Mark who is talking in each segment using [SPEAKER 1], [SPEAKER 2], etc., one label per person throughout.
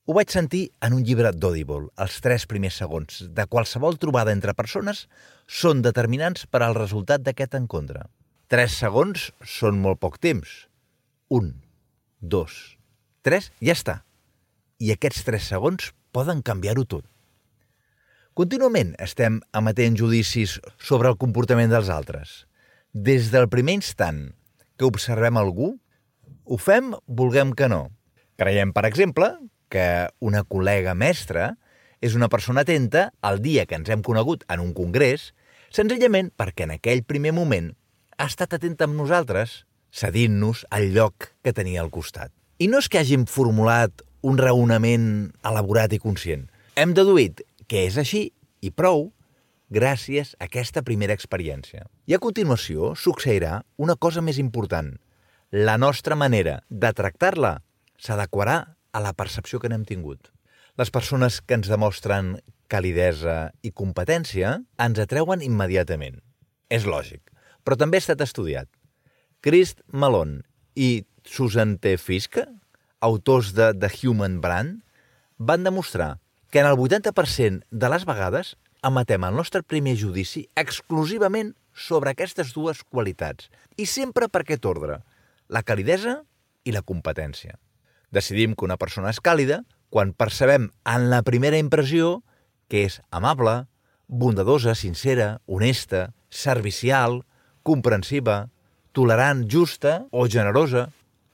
[SPEAKER 1] Ho vaig sentir en un llibre d'Audible. Els 3 primers segons de qualsevol trobada entre persones són determinants per al resultat d'aquest encontre. 3 segons són molt poc temps. 1, 2, 3, ja està. I aquests 3 segons poden canviar-ho tot. Contínuament estem emetent judicis sobre el comportament dels altres. Des del primer instant que observem algú, ho fem vulguem que no. Creiem, per exemple, que una col·lega mestra és una persona atenta el dia que ens hem conegut en un congrés, senzillament perquè en aquell primer moment ha estat atenta amb nosaltres, cedint-nos el lloc que tenia al costat. I no és que hàgim formulat un raonament elaborat i conscient. Hem deduït que és així i prou gràcies a aquesta primera experiència. I a continuació succeirà una cosa més important. La nostra manera de tractar-la s'adequarà a la percepció que n'hem tingut. Les persones que ens demostren calidesa i competència ens atreuen immediatament. És lògic, però també ha estat estudiat. Chris Malone i Susan T. Fiske, autors de The Human Brand, van demostrar que en el 80% de les vegades emetem el nostre primer judici exclusivament sobre aquestes 2 qualitats i sempre per aquest ordre, la calidesa i la competència. Decidim que una persona és càlida quan percebem en la primera impressió que és amable, bondadosa, sincera, honesta, servicial, comprensiva, tolerant, justa o generosa.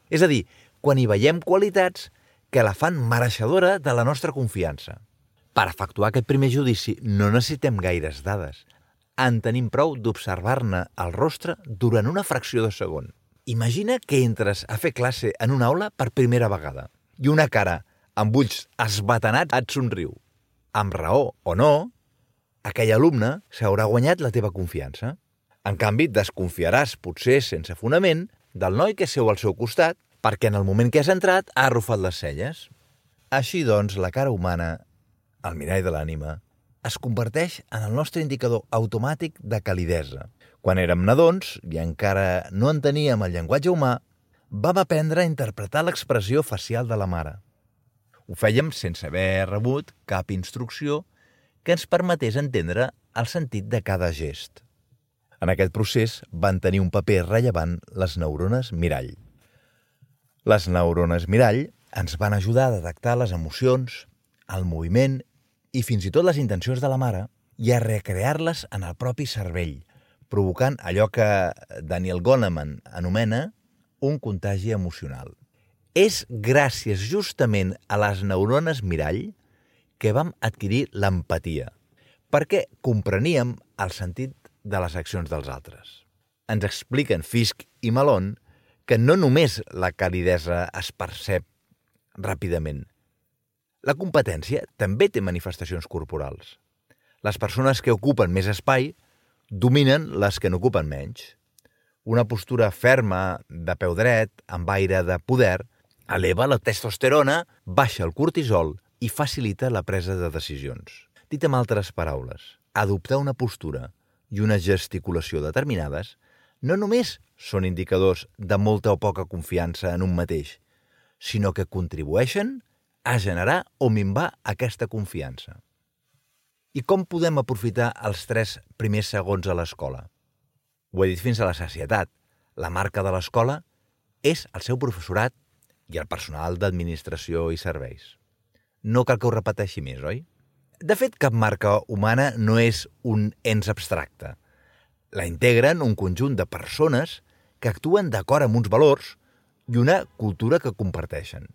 [SPEAKER 1] És a dir, quan hi veiem qualitats que la fan mereixedora de la nostra confiança. Per efectuar aquest primer judici no necessitem gaires dades. En tenim prou d'observar-ne el rostre durant una fracció de segon. Imagina que entres a fer classe en una aula per primera vegada i una cara amb ulls esbatanats et somriu. Amb raó o no, aquell alumne s'haurà guanyat la teva confiança. En canvi, desconfiaràs, potser sense fonament, del noi que seu al seu costat perquè en el moment que has entrat ha arrufat les celles. Així doncs, la cara humana, el mirall de l'ànima, es converteix en el nostre indicador automàtic de calidesa. Quan érem nadons, i encara no enteníem el llenguatge humà, vam aprendre a interpretar l'expressió facial de la mare. Ho fèiem sense haver rebut cap instrucció que ens permetés entendre el sentit de cada gest. En aquest procés van tenir un paper rellevant les neurones mirall. Les neurones mirall ens van ajudar a detectar les emocions, el moviment i fins i tot les intencions de la mare i a recrear-les en el propi cervell, provocant allò que Daniel Goleman anomena un contagi emocional. És gràcies justament a les neurones mirall que vam adquirir l'empatia, perquè compreníem el sentit de les accions dels altres. Ens expliquen Fiske i Malone que no només la calidesa es percep ràpidament. La competència també té manifestacions corporals. Les persones que ocupen més espai dominen les que n'ocupen menys. Una postura ferma, de peu dret, amb aire de poder, eleva la testosterona, baixa el cortisol i facilita la presa de decisions. Dit amb altres paraules, adoptar una postura i una gesticulació determinades no només són indicadors de molta o poca confiança en un mateix, sinó que contribueixen a generar o minvar aquesta confiança. I com podem aprofitar els 3 primers segons a l'escola? Ho he dit fins a la sacietat. La marca de l'escola és el seu professorat i el personal d'administració i serveis. No cal que ho repeteixi més, oi? De fet, cap marca humana no és un ens abstracte. La integren un conjunt de persones que actuen d'acord amb uns valors i una cultura que comparteixen.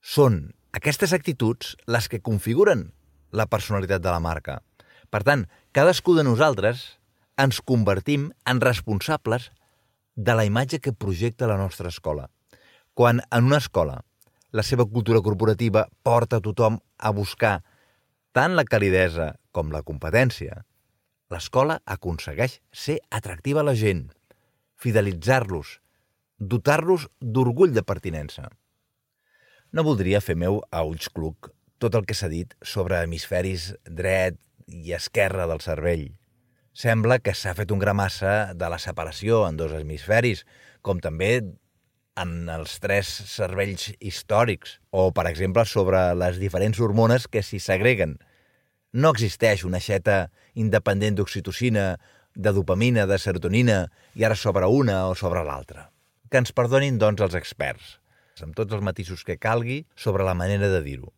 [SPEAKER 1] Són aquestes actituds les que configuren la personalitat de la marca. Per tant, cadascú de nosaltres ens convertim en responsables de la imatge que projecta la nostra escola. Quan en una escola la seva cultura corporativa porta a tothom a buscar tant la calidesa com la competència, l'escola aconsegueix ser atractiva a la gent, fidelitzar-los, dotar-los d'orgull de pertinença. No voldria fer meu a ulls cluc tot el que s'ha dit sobre hemisferis dret i esquerre del cervell. Sembla que s'ha fet un gramassa de la separació en 2 hemisferis, com també en els 3 cervells històrics, o, per exemple, sobre les diferents hormones que s'hi segreguen. No existeix una aixeta independent d'oxitocina, de dopamina, de serotonina, i ara sobre una o sobre l'altra. Que ens perdonin, doncs, els experts, amb tots els matisos que calgui sobre la manera de dir-ho.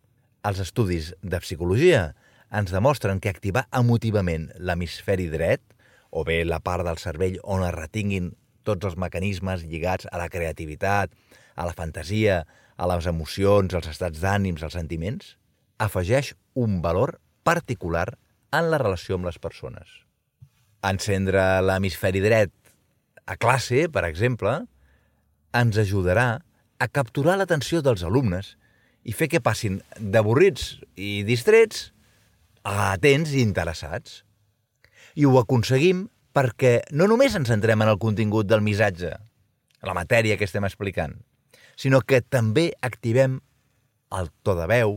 [SPEAKER 1] Els estudis de psicologia ens demostren que activar emotivament l'hemisferi dret, o bé la part del cervell on es retinguin tots els mecanismes lligats a la creativitat, a la fantasia, a les emocions, als estats d'ànims, als sentiments, afegeix un valor particular en la relació amb les persones. Encendre l'hemisferi dret a classe, per exemple, ens ajudarà a capturar l'atenció dels alumnes i fer que passin d'avorrits i distrets a atents i interessats. I ho aconseguim perquè no només ens centrem en el contingut del missatge, la matèria que estem explicant, sinó que també activem el to de veu,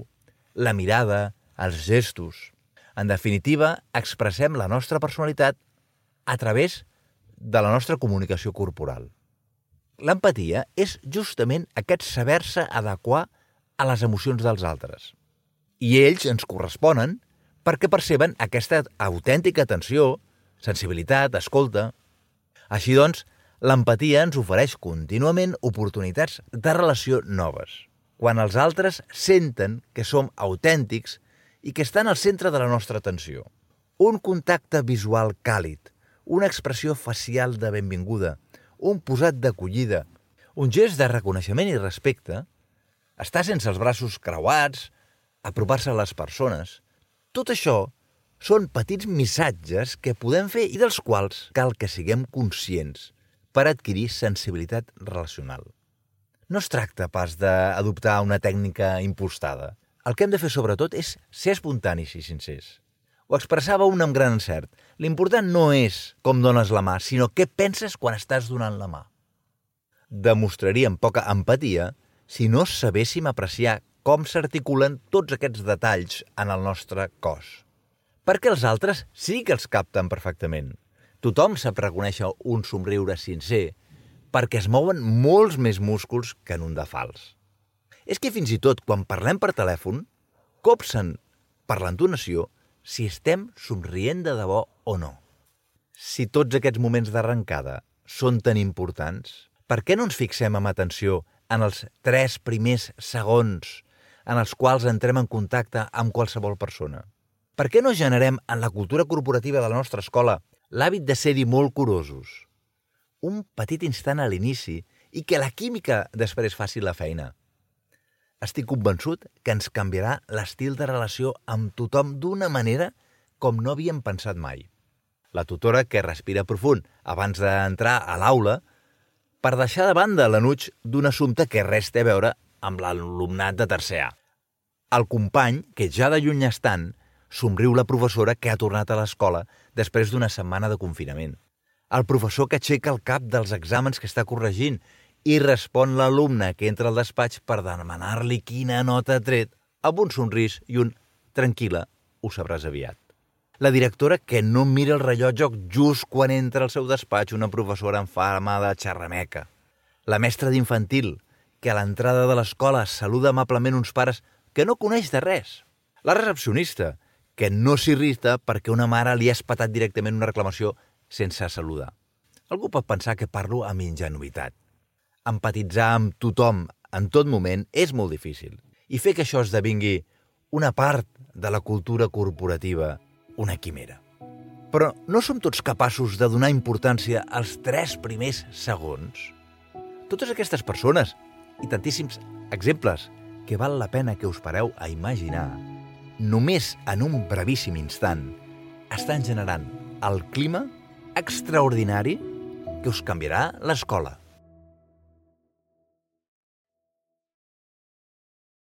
[SPEAKER 1] la mirada, els gestos. En definitiva, expressem la nostra personalitat a través de la nostra comunicació corporal. L'empatia és justament aquest saber-se adequar a les emocions dels altres. I ells ens corresponen perquè perceben aquesta autèntica atenció, sensibilitat, escolta. Així doncs, l'empatia ens ofereix contínuament oportunitats de relació noves, quan els altres senten que som autèntics i que estan al centre de la nostra atenció. Un contacte visual càlid, una expressió facial de benvinguda, un posat d'acollida, un gest de reconeixement i respecte, estar sense els braços creuats, apropar-se a les persones. Tot això són petits missatges que podem fer i dels quals cal que siguem conscients per adquirir sensibilitat relacional. No es tracta pas d'adoptar una tècnica impostada. El que hem de fer sobretot és ser espontanis i sincers. Ho expressava un amb gran encert. L'important no és com dones la mà, sinó què penses quan estàs donant la mà. Demostraríem poca empatia si no sabéssim apreciar com s'articulen tots aquests detalls en el nostre cos. Perquè els altres sí que els capten perfectament. Tothom sap reconèixer un somriure sincer perquè es mouen molts més músculs que en un de fals. És que fins i tot quan parlem per telèfon, copsen per l'entonació si estem somrient de debò o no. Si tots aquests moments d'arrencada són tan importants, per què no ens fixem amb atenció en els 3 primers segons en els quals entrem en contacte amb qualsevol persona? Per què no generem en la cultura corporativa de la nostra escola l'hàbit de ser-hi molt curosos? Un petit instant a l'inici i que la química després faci la feina. Estic convençut que ens canviarà l'estil de relació amb tothom d'una manera com no havíem pensat mai. La tutora que respira profund abans d'entrar a l'aula per deixar de banda l'enuig d'un assumpte que res té a veure amb l'alumnat de tercer A. El company, que ja de lluny estant, somriu la professora que ha tornat a l'escola després d'una setmana de confinament. El professor que aixeca el cap dels exàmens que està corregint i respon l'alumne que entra al despatx per demanar-li quina nota ha tret amb un somrís i un «tranquil·la, ho sabràs aviat». La directora que no mira el rellotge just quan entra al seu despatx una professora en fama de xerrameca. La mestra d'infantil que a l'entrada de l'escola saluda amablement uns pares que no coneix de res. La recepcionista que no s'irrita perquè una mare li ha espatat directament una reclamació sense saludar. Algú pot pensar que parlo amb ingenuïtat. Empatitzar amb tothom en tot moment és molt difícil i fer que això esdevingui una part de la cultura corporativa, una quimera. Però no som tots capaços de donar importància als 3 primers segons? Totes aquestes persones i tantíssims exemples que val la pena que us pareu a imaginar, només en un brevíssim instant, estan generant el clima extraordinari que us canviarà l'escola.